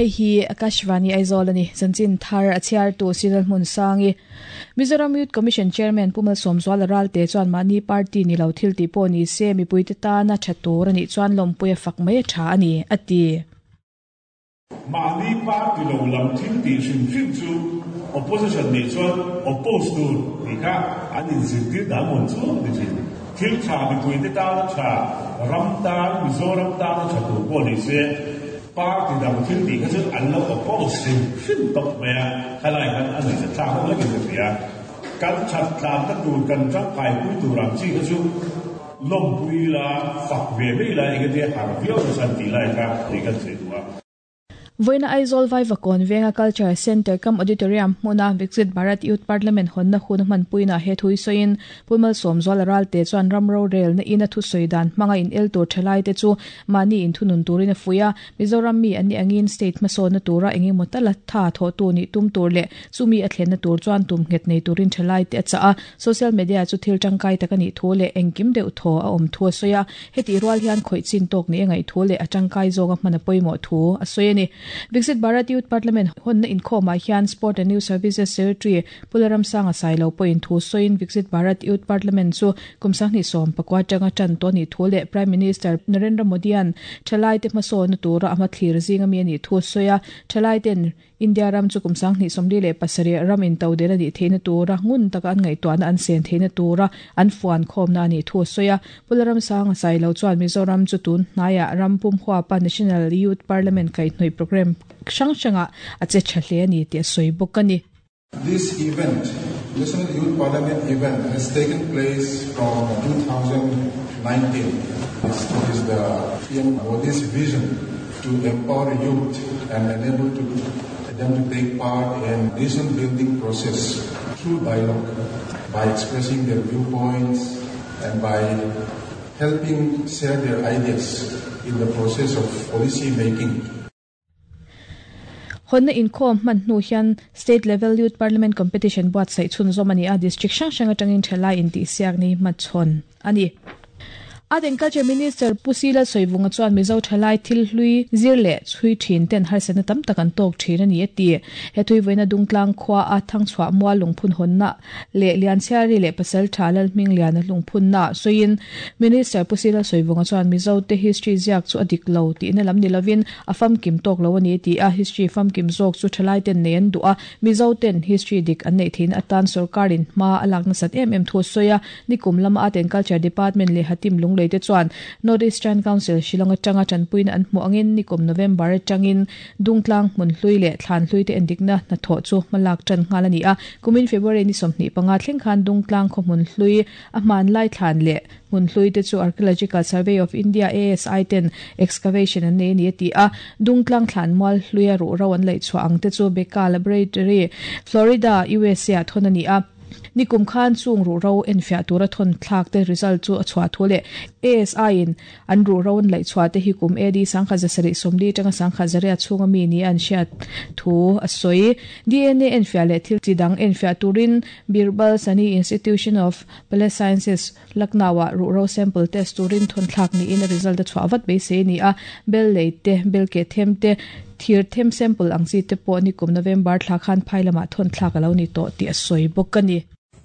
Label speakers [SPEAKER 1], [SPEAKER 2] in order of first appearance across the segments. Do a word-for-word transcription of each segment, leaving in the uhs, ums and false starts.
[SPEAKER 1] Hei hi Akashvani Aizawl ani chanchin thar a chhiar tu Siral Hmun Sangi. Mizoram Youth Commission Chairman Pumal Somzuala Ralte chuan mahni party ni lo thil ti pawh ni se mipuite tana tha tur ani chuan lawmpuia fak mai tha ani ati.
[SPEAKER 2] Mahni party lo lam thil ti hrim hrim chu opposition ni chuan oppose tur ti kha an inzirtir dan mawn chu ni thin. Thil tha mipuite tana tha ram tan Mizoram tana tha tur pawh ni se party dang thil ti kha chu an lo oppose hrim hrim tawp mai a, khalai khan a nuih thlak ho lekin ka hria. Kan that tlan ta tur kan tangkai pui tur ang chi kha chu lawmpui la fak ve mai la enge te har viau na chan ti lai kha ni kan sei du a.
[SPEAKER 1] Voina Aizawl Vaivakawn Venga Culture Center kam Auditorium hmuna Viksit Bharat Youth Parliament honna hun hman puina he thui soin Pumal Somzuala Ralte chuan ramro rel na ina thu soidan hmanga in el tur thalai te chu mani in thunun turin a fuia. Mizoram mi ani angin state hmasawn na tura engemaw tala tha thaw tu ni tum tur leh chumi a thlen na tur chuan tum nghet nei turin thalai te a cha a. Social media chu thil tangkai tak ani thu leh engkim deuh thaw a awm thu a sawi a. Heti rual hian khawih chin tawk ni angai thu leh a tangkai zawnga hman a pawimawh thu a sawi ani. Viksit Bharat Youth Parliament honna inkhawmah hian Sport and Youth Services Secretary Pularam Sanga Sailo pawhin thu sawiin Viksit Bharat Youth Parliament chu kum sanghnih sawm pakua atanga tan tawh ni thu leh Prime Minister Narendra Modi-an thalai te hmasawn na tura a hmathlir zinga mi ani thu sawi a. Thalai ten India ram chu kum sanghnih sawmli leh pasarih ram in to del ani theihna tura ngun taka an ngaihtuahna an sen theihna tura an fuan khawmna ani thu sawi a. Pularam Sanga Sailo chuan Mizoram chu tun hnaiah ram pum huapa National Youth Parliament kaihhnawih program hrang hranga a che tha hle ani tih a sawi bawk ani.
[SPEAKER 3] This event, National Youth Parliament event, has taken place from two thousand nineteen. This is the P M Modi's vision to empower youth and enable to, them to take part in nation building process through dialogue, by expressing their viewpoints and by helping share their ideas in the process of policy making.
[SPEAKER 1] Honna inkhawm hman hnu hian State Level Youth Parliament Competition buatsaih chhunzawm ani a. District hrang hrang atangin thalai intihsiak ni hmachhawn ani. Art and Culture Minister Pusila Soivunga chuan Mizo thalai thil hlui zir leh chhui thin ten harsatna tam tak an tawk thin ani ati. He thui voina dungtlang khua a thangchhuah mual lungphun honna leh Lianchhiari leh pasal tha lal hming lian a lungphun na sawiin Minister Pusila Soivunga chuan Mizo te history ziak chu a dik lo tihna lam ni lovin a famkim tawk lo ani ti a. History famkim zawk chu thalai ten nei an duh a. Mizo ten history dik an nei thin atan sarkarin hma a lak nasat em em thu sawi a. Nikum lama Art and Culture Department leh Hatim lung te chuan North Eastern Council Shillong atanga tanpuina an hmu angin nikum November atangin dungtlang hmun hlui leh thlan hlui te endikna hnathawh chu hmalak tan nghal ani a. Kumin February ni sawmhnih panga thleng khan dungtlang khaw hmun hlui a hman lai thlan leh hmun hlui te chu Archaeological Survey of India A S I ten excavation an nei ani ati a. Dungtlang thlan mual hlui a ruh ro an laih chhuah ang te chu Beka Laboratory Florida U S A ah thawn ani a. Nikum khan chung ru ro enfiah tura thon thlak te result chu a chhuah thu leh A S I in an ru ro an laih chhuah te hi kum A D sangkhat zasarih sawmli atanga sangkhat zaria chhunga mi ni an hriat thu a sawi. D N A enfiah leh thil chi dang enfiah turin Birbal Sani Institution of Palace Sciences Lucknow ah ru ro sample test turin thon thlak ni in a result a chhuah vat beisei ni a. Bel lei te bel ke them te thir them sample ang chi te pawh nikum November thla khan phai lamah thon thlak alo ni tawh tih a sawi bawk ani.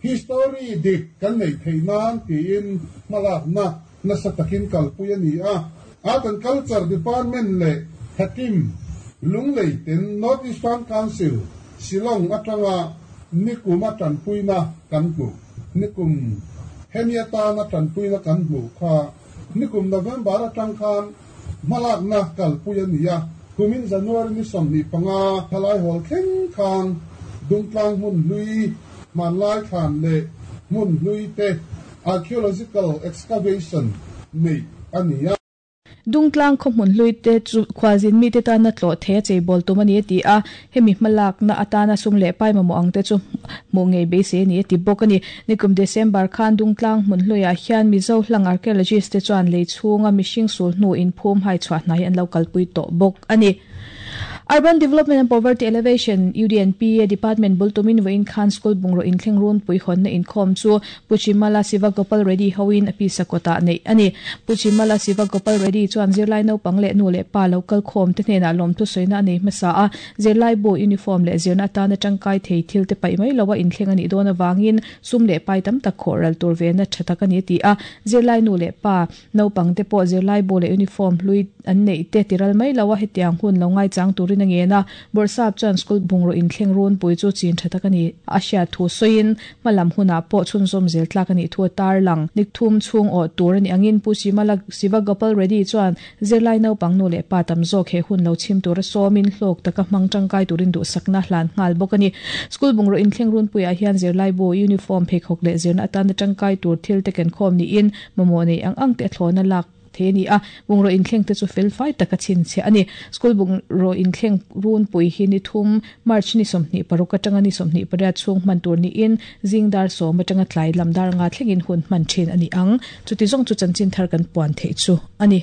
[SPEAKER 4] History dik kan nei thei nan tiin hmalak na nasa takin kalpui ani a. Art and Culture Department leh Hatim Lunglei ten North Eastern Council Shillong atanga nikuma tanpuina kan hmu. Nikum hemiata na tanpuina kan hmu kha nikum November atang khan hmalak na kalpui ani a. Kumin January ni sawmhnih panga thalai hall thleng khan dungtlang hmun hlui hmanlai thlan leh hmun hlui te archaeological excavation nei ani a.
[SPEAKER 1] Dungtlang khaw hmun hlui te chu khualzin mi te tana tlawh the cheibawlh tum ani ati a. Hemi hmalak na atana sum leh pai mamawh ang te chu hmuh ngei beisei ani ati bawk ani. Nikum December khan dungtlang hmun hluiah hian Mizo hlang archaeologist te chuan lei chhunga mihring sul hnu in phum hai chhuah hnai an lo kalpui tawh bawk ani. Urban Development and Poverty Elevation U D N P A Department bultumin voin khan school bungro inthleng run pui hon na inkhom chu Puchimala Sivagopal Reddy hoin apisa kota nei ani. Puchimala Sivagopal Reddy chuan zirlai no pangle nu le pa local khom te hnena lom thu soina nei masa a zirlai bo uniform le zirna ta na tangkai thei thil te pai mai lawa inthleng ani dona wangin sum le pai tam tak khoral tur ve na thatak ani ti a zirlai nu le pa no pang te po zirlai bo le uniform hlui an nei te tiral mai lawa hetiang hun lo ngai chang turin ange na borsap chan school bungro inthleng run pui chu chin thatak ani asia thu soin malam huna po chun zom zel tlak ani thu tar lang nikthum chung o tur ani angin pu Simala Sivagopal Reddy chuan zirlai no pang nu le pa tam zo khe hun lo chim tur somin hlok taka mang tangkai turin du sakna hlan ngal bokani school bungro inthleng run puya hian zirlai bo uniform phek hok le zirna atan tangkai tur thil te ken khom ni in momo nei ang ang te thlona lak the ni a bungro inthleng te chu fel fai taka chin che ani school bungro inthleng run pui hi ni thum March ni somni paruk atanga ni somni paria chung man tur ni in zingdar som atanga tlai lamdar nga thlengin hun man thin ani ang chuti zong chu chanchin thar kan puan the chu ani.